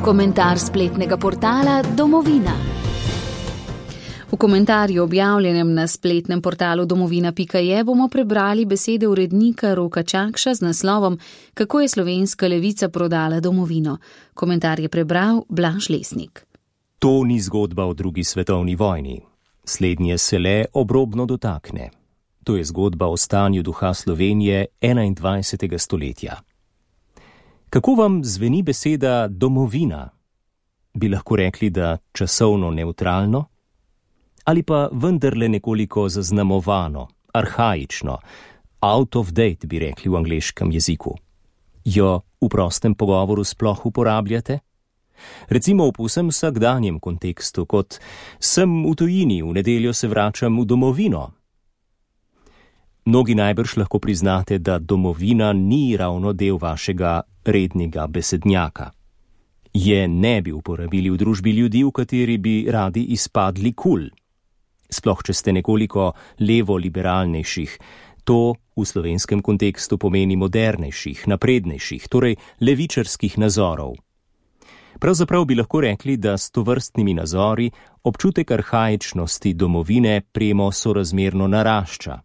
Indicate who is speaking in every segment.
Speaker 1: Komentar spletnega portala Domovina. V komentarju objavljenem na spletnem portalu domovina.je bomo prebrali besede urednika Roka Čakša z naslovom Kako je slovenska levica prodala domovino. Komentar je prebral Blaž Lesnik.
Speaker 2: To ni zgodba o drugi svetovni vojni. Slednje se le obrobno dotakne. To je zgodba o stanju duha Slovenije 21. stoletja. Kako vam zveni beseda domovina? Bi lahko rekli, da časovno nevtralno? Ali pa vendarle nekoliko zaznamovano, arhaično, out of date bi rekli v angleškem jeziku? Jo v prostem pogovoru sploh uporabljate? Recimo v povsem vsakdanjem kontekstu, kot sem v tujini, v nedeljo se vračam v domovino. Mnogi najbrž lahko priznate, da domovina ni ravno del vašega rednega besednjaka. Je ne bi uporabili v družbi ljudi, v kateri bi radi izpadli kul. Sploh, če ste nekoliko levo-liberalnejših, to v slovenskem kontekstu pomeni modernejših, naprednejših, torej levičarskih nazorov. Pravzaprav bi lahko rekli, da s tovrstnimi nazori občutek arhaičnosti domovine premo sorazmerno narašča.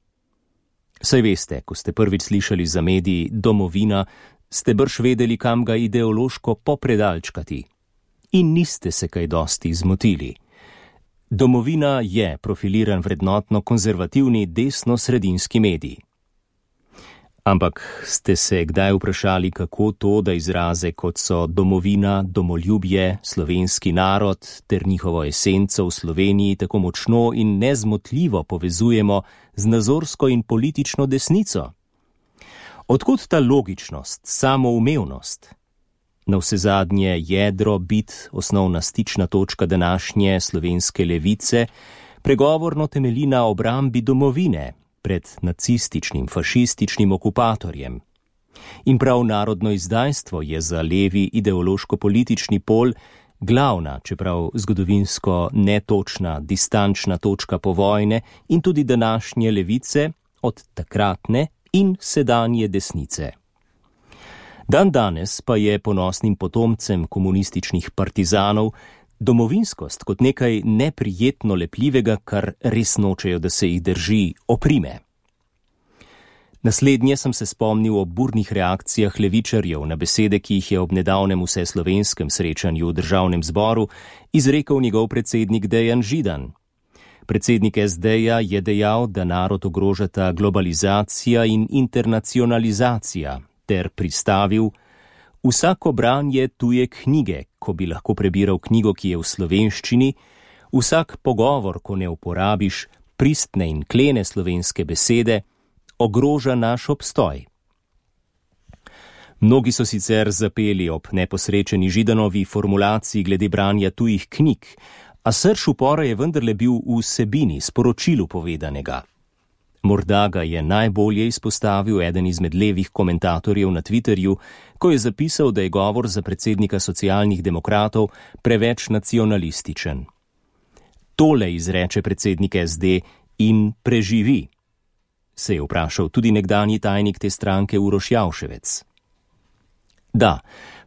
Speaker 2: Saj veste, ko ste prvič slišali za medij domovina, ste brž vedeli, kam ga ideološko popredalčkati. In niste se kaj dosti zmotili. Domovina je profiliran vrednotno konzervativni desno-sredinski medij. Ampak ste se kdaj vprašali, kako to, da izraze kot so domovina, domoljubje, slovenski narod ter njihovo esenco v Sloveniji tako močno in nezmotljivo povezujemo z nazorsko in politično desnico? Odkot ta logičnost, samoumevnost? Navsezadnje jedro, bit, osnovna stična točka današnje slovenske levice, pregovorno temelji na obrambi domovine pred nacističnim, fašističnim okupatorjem. In prav narodno izdajstvo je za levi ideološko-politični pol glavna, čeprav zgodovinsko netočna, distančna točka povojne in tudi današnje levice od takratne in sedanje desnice. Dan danes pa je ponosnim potomcem komunističnih partizanov domovinskost kot nekaj neprijetno lepljivega, kar res nočejo, da se jih drži, oprime. Naslednje sem se spomnil o burnih reakcijah levičarjev na besede, ki jih je ob nedavnem vseslovenskem srečanju v državnem zboru izrekel njegov predsednik Dejan Židan. Predsednik SD-ja je dejal, da narod ogrožata globalizacija in internacionalizacija, ter pristavil: vsako branje tuje knjige, ko bi lahko prebiral knjigo, ki je v slovenščini, vsak pogovor, ko ne uporabiš pristne in klene slovenske besede, ogroža naš obstoj. Mnogi so sicer zapeli ob neposrečeni Židanovi formulaciji glede branja tujih knjig, a srž upora je vendarle bil v vsebini, sporočilu povedanega. Morda ga je najbolje izpostavil eden izmed levih komentatorjev na Twitterju, ko je zapisal, da je govor za predsednika socialnih demokratov preveč nacionalističen. Tole izreče predsednik SD in preživi, se je vprašal tudi nekdanji tajnik te stranke Uroš Javševec. Da,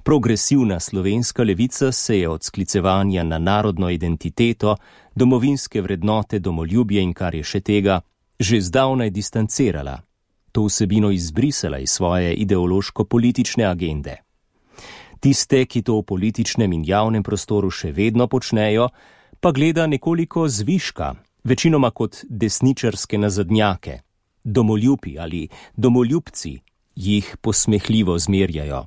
Speaker 2: progresivna slovenska levica se je od sklicevanja na narodno identiteto, domovinske vrednote, domoljubje in kar je še tega, že zdavnaj distancirala, to vsebino izbrisala iz svoje ideološko-politične agende. Tiste, ki to v političnem in javnem prostoru še vedno počnejo, pa gleda nekoliko zviška, večinoma kot desničarske nazadnjake, domoljubi ali domoljubci jih posmehljivo zmerjajo.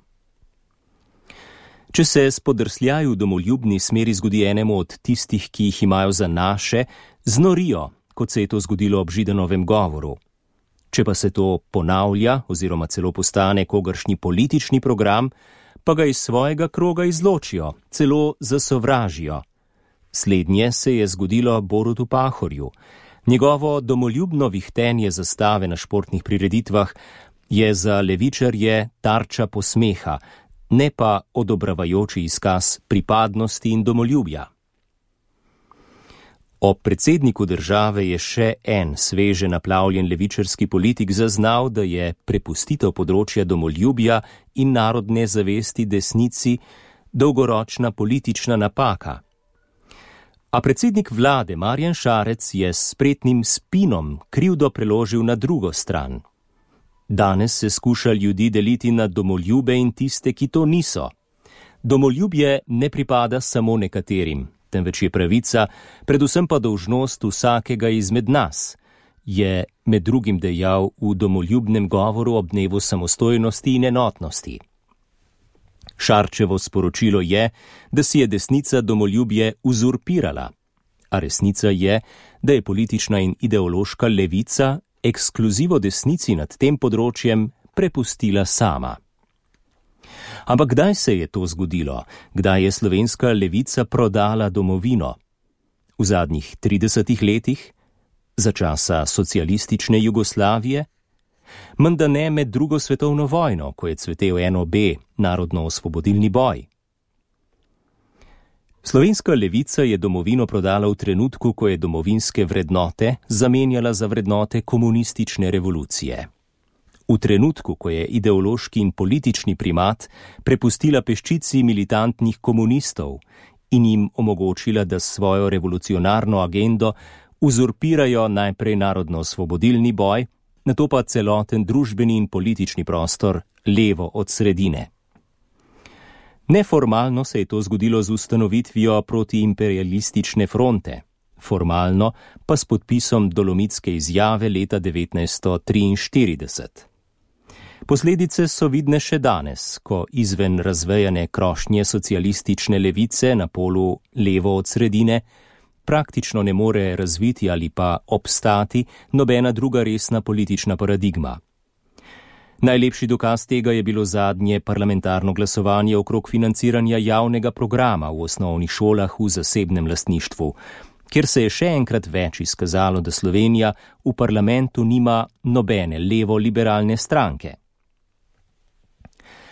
Speaker 2: Če se spodrsljaju v domoljubni smeri zgodi enemu od tistih, ki jih imajo za naše, znorijo, kot se je to zgodilo ob Židanovem govoru. Če pa se to ponavlja oziroma celo postane kogaršnji politični program, pa ga iz svojega kroga izločijo, celo zasovražijo. Slednje se je zgodilo Borutu Pahorju. Njegovo domoljubno vihtenje zastave na športnih prireditvah je za levičarje tarča posmeha, ne pa odobravajoči izkaz pripadnosti in domoljubja. Ob predsedniku države je še en sveže naplavljen levičarski politik zaznal, da je prepustitev področja domoljubja in narodne zavesti desnici dolgoročna politična napaka. A predsednik vlade Marjan Šarec je s spretnim spinom krivdo preložil na drugo stran. Danes se skuša ljudi deliti na domoljube in tiste, ki to niso. Domoljubje ne pripada samo nekaterim, temveč je pravica, predvsem pa dolžnost vsakega izmed nas, je med drugim dejal v domoljubnem govoru ob dnevu samostojnosti in enotnosti. Šarčevo sporočilo je, da si je desnica domoljubje uzurpirala, a resnica je, da je politična in ideološka levica ekskluzivo desnici nad tem področjem prepustila sama. Ampak kdaj se je to zgodilo? Kdaj je slovenska levica prodala domovino? V zadnjih 30 letih? Za časa socialistične Jugoslavije? Menda ne med drugo svetovno vojno, ko je cvetel NOB, narodno-osvobodilni boj. Slovenska levica je domovino prodala v trenutku, ko je domovinske vrednote zamenjala za vrednote komunistične revolucije. V trenutku, ko je ideološki in politični primat prepustila peščici militantnih komunistov in jim omogočila, da svojo revolucionarno agendo uzurpirajo najprej narodno-osvobodilni boj, nato pa celoten družbeni in politični prostor levo od sredine. Neformalno se je to zgodilo z ustanovitvijo protiimperialistične fronte, formalno pa s podpisom Dolomitske izjave leta 1943. Posledice so vidne še danes, ko izven razvejane krošnje socialistične levice na polu levo od sredine praktično ne more razviti ali pa obstati nobena druga resna politična paradigma. Najlepši dokaz tega je bilo zadnje parlamentarno glasovanje okrog financiranja javnega programa v osnovnih šolah v zasebnem lastništvu, kjer se je še enkrat več izkazalo, da Slovenija v parlamentu nima nobene levo-liberalne stranke.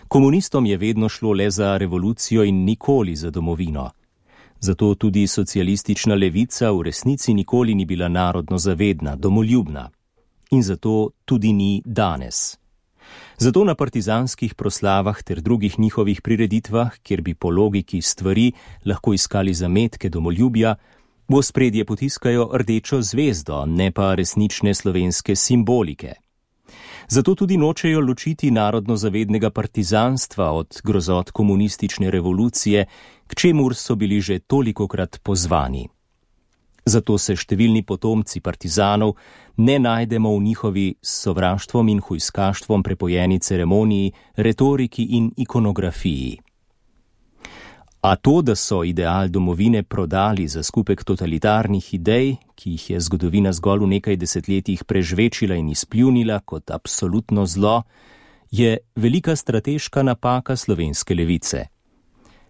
Speaker 2: Komunistom je vedno šlo le za revolucijo in nikoli za domovino. Zato tudi socialistična levica v resnici nikoli ni bila narodno zavedna, domoljubna. In zato tudi ni danes. Zato na partizanskih proslavah ter drugih njihovih prireditvah, kjer bi po logiki stvari lahko iskali zametke domoljubja, v ospredje potiskajo rdečo zvezdo, ne pa resnične slovenske simbolike. Zato tudi nočejo ločiti narodno-zavednega partizanstva od grozot komunistične revolucije, k čemur so bili že tolikokrat pozvani. Zato se številni potomci partizanov ne najdemo v njihovi s sovraštvom in hujskaštvom prepojeni ceremoniji, retoriki in ikonografiji. A to, da so ideal domovine prodali za skupek totalitarnih idej, ki jih je zgodovina zgolj v nekaj desetletjih prežvečila in izpljunila kot absolutno zlo, je velika strateška napaka slovenske levice.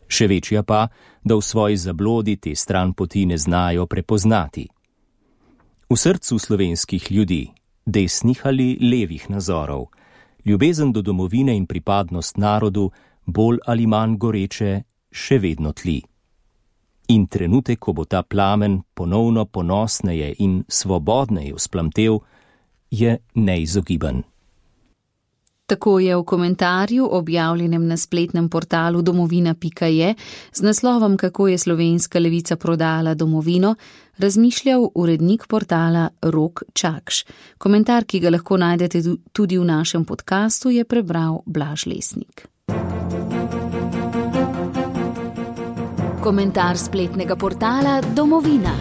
Speaker 2: Še večja pa, da v svoji zablodi te stranpoti ne znajo prepoznati. V srcu slovenskih ljudi, desnih ali levih nazorov, ljubezen do domovine in pripadnost narodu bolj ali manj goreče še vedno tli. In trenutek, ko bo ta plamen ponovno ponosneje in svobodneje vzplamtel, je neizogiben.
Speaker 1: Tako je v komentarju, objavljenem na spletnem portalu domovina.je, z naslovom Kako je slovenska levica prodala domovino, razmišljal urednik portala Rok Čakš. Komentar, ki ga lahko najdete tudi v našem podkastu, je prebral Blaž Lesnik. Komentar spletnega portala Domovina.